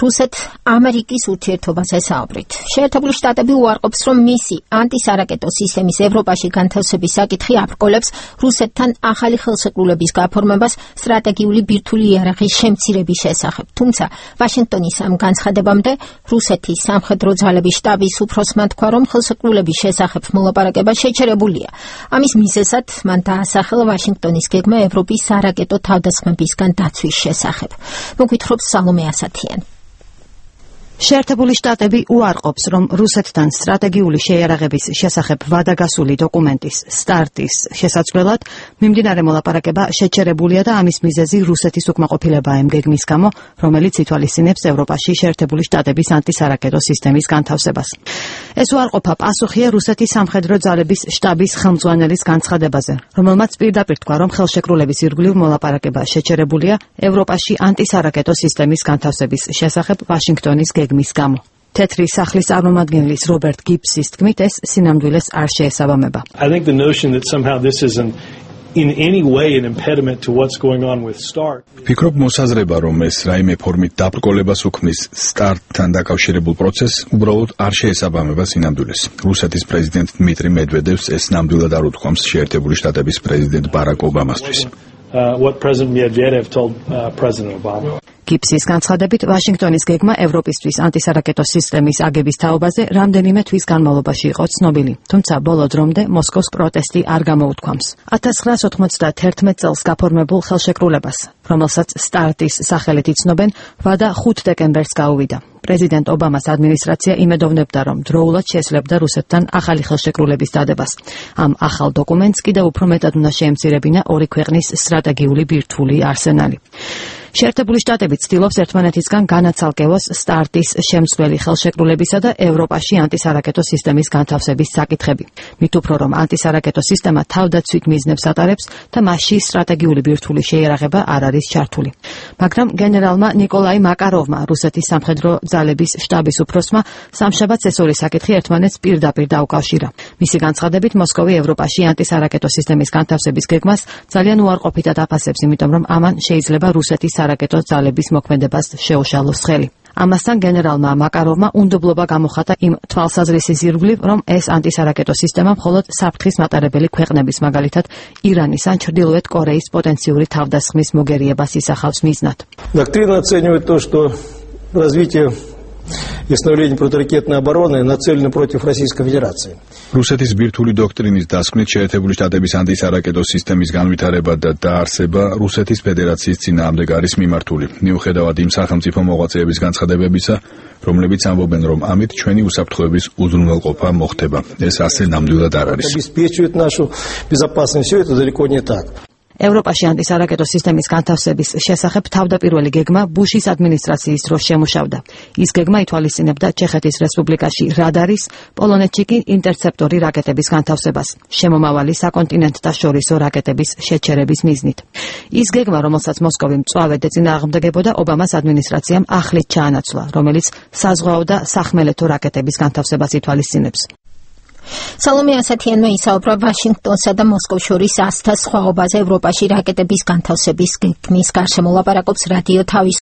რუსეთ-ამერიკის ურთიერთობაზე საუბრით. შეერთებული შტატები უარყოფს, რომ მისი ანტისარაკეტო სისტემის ევროპაში განთავსების საკითხი აბრკოლებს რუსეთთან ახალი ხელშეკრულების გაფორმებას სტრატეგიული ბირთვული იარაღის შემცირების შესახებ. თუმცა ვაშინგტონის ამ განცხადებამდე რუსეთის სამხედრო ძალების შტაბის უფროსმა თქვა, რომ ხელშეკრულების შესახებ მოლაპარაკება შეჩერებულია. ამის მიზეზად მან დაასახელა ვაშინგტონის გეგმა ევროპის სარაკეტო თავდასხმებისგან დაცვის შესახებ. მოგვითხრობს სალომე ასათიანი. შეერთებული შტატები უარყოფს, რომ რუსეთთან სტრატეგიული შეიარაღების შესახებ ვადაგასული დოკუმენტის სტარტის შესაძლებლად მიმდინარე მოლაპარაკება შეჩერებულია და ამის მიზეზი რუსეთის უკმაყოფილებაა იმ გეგმის გამო, რომელიც ითვალისწინებს ევროპაში შეერთებული შტატების ანტისარაკეტო სისტემის განთავსებას. ეს უარყოფა პასუხია რუსეთის სამხედრო ძალების შტაბის ხელმძღვანელის განცხადებაზე, რომელმაც პირდაპირ თქვა, რომ ხელშეკრულების ირგვლივ მოლაპარაკება შეჩერებულია ევროპაში ანტისარაკეტო სისტემის განთავსების შესახებ ვაშინგტონის გეგმის გამო. თეთრი სახლის წარმომადგენლის რობერტ გიბსის თქმით, ეს სინამდვილეს არ შეესაბამება. I think the notion that somehow this isn't in any way an impediment to what's going on with START. ფიქრობ მოსაზრება, რომ ეს რაიმე ფორმით დაბრკოლებას უქმნის START-თან დაკავშირებულ პროცესს, უბრალოდ არ შეესაბამება სინამდვილეს. რუსეთის პრეზიდენტ დმიტრი მედვედევს ეს ნამდვილად არ უთქვამს შეერთებული შტატების პრეზიდენტ ბარაკ ობამასთვის. What President Medvedev told President Obama. გიბსის განცხადებით, ვაშინგტონის გეგმა ევროპისთვის ანტისარაკეტო სისტემის აგების თაობაზე რამდენიმე თვის განმავლობაში იყო ცნობილი, თუმცა ბოლო დრომდე მოსკოვს პროტესტი არ გამოუთქვამს. 1991 წელს გაფორმებულ ხელშეკრულებას, რომელსაც სტარტის სახელით იცნობენ, ვადა 5 დეკემბერს გაუვიდა. პრეზიდენტ ობამას ადმინისტრაცია იმედოვნებდა, რომ დროულად შეესლებდა რუსეთთან ახალი ხელშეკრულების დადებას. ამ ახალ დოკუმენტს კიდევ უფრო მეტად უნდა შეემცირებინა ორი ქვეყნის სტრატეგიული ბირთვული არსენალი. შეერთებული შტატები ცდილობს ერთმანეთისგან განაცალკევოს სტარტის შემცვლელი ხელშეკრულებისა და ევროპაში ანტისარაკეტო სისტემის განთავსების საკითხები. მით უფრო რომ ანტისარაკეტო სისტემა თავდაცვით მიზნებს ატარებს და მასში სტრატეგიული ბირთვული შეიარაღება არ არის ჩართული. მაგრამ გენერალმა ნიკოლაი მაკაროვმა, რუსეთის სამხედრო ძალების შტაბის უფროსმა, სამშაბათს ეს ორი საკითხი ერთმანეთს პირდაპირ დაუკავშირა. მისი განცხადებით, მოსკოვი ევროპაში ანტისარაკეტო სისტემის განთავსების გეგმას ძალიან უარყოფითად აფასებს, იმიტომ რომ ამან შეიძლება რუსეთის სარაკეტო ძალების მოქმედებას შეუშალოს ხელი. ამასთან გენერალმა მაკაროვმა უნდობლობა გამოხატა იმ თვალსაზრისის ირგვლივ, რომ ეს ანტისარაკეტო სისტემა მხოლოდ საფრთხის მატარებელი ქვეყნების, მაგალითად ირანის ან ჩრდილოეთ კორეის პოტენციური თავდასხმის მოგერიებას ისახავს მიზნად. Доктрина оценивает то, что развитие и становление противоракетной обороны нацелено против Российской Федерации. რუსეთის ბირთვული დოქტრინის დასკვნით შეერთებული შტატების ანტისარაკეტო სისტემის განვითარება და დაარსება რუსეთის ფედერაციის წინააღმდეგ არის მიმართული. მიუხედავად იმ სახელმწიფო მოღვაწეების განცხადებებისა, რომლებიც ამბობენ, რომ ამით ჩვენი უსაფრთხოების უზრუნველყოფა მოხდება. ეს ასე ნამდვილად არ არის. Обеспечивает нашу безопасность. Все это далеко не так. ევროპაში ანტისარაკეტო სისტემის განთავსების შესახებ თავდაპირველი გეგმა ბუშის ადმინისტრაციის დროს შემუშავდა. ის გეგმა ითვალისწინებდა ჩეხეთის რესპუბლიკაში რადარის, პოლონეთში კი ინტერცეპტორი რაკეტების განთავსებას, შემომავალი საკონტინენტთაშორისო რაკეტების შეჩერების მიზნით. ის გეგმა, რომელსაც მოსკოვი მწვავედ ეწინააღმდეგებოდა, ობამას ადმინისტრაციამ ახლით ჩაანაცვლა, რომელიც საზღვაო და სახმელეთო რაკეტების განთავსებას ითვალისწინებს. სალომე ასათიანმა ისაუბრა ვაშინგტონსა და მოსკოვს შორის ასთა სხვაობაზე ევროპაში რაკეტების განთავსების გეგმის გარშემო. ლაპარაკობს რადიო თავის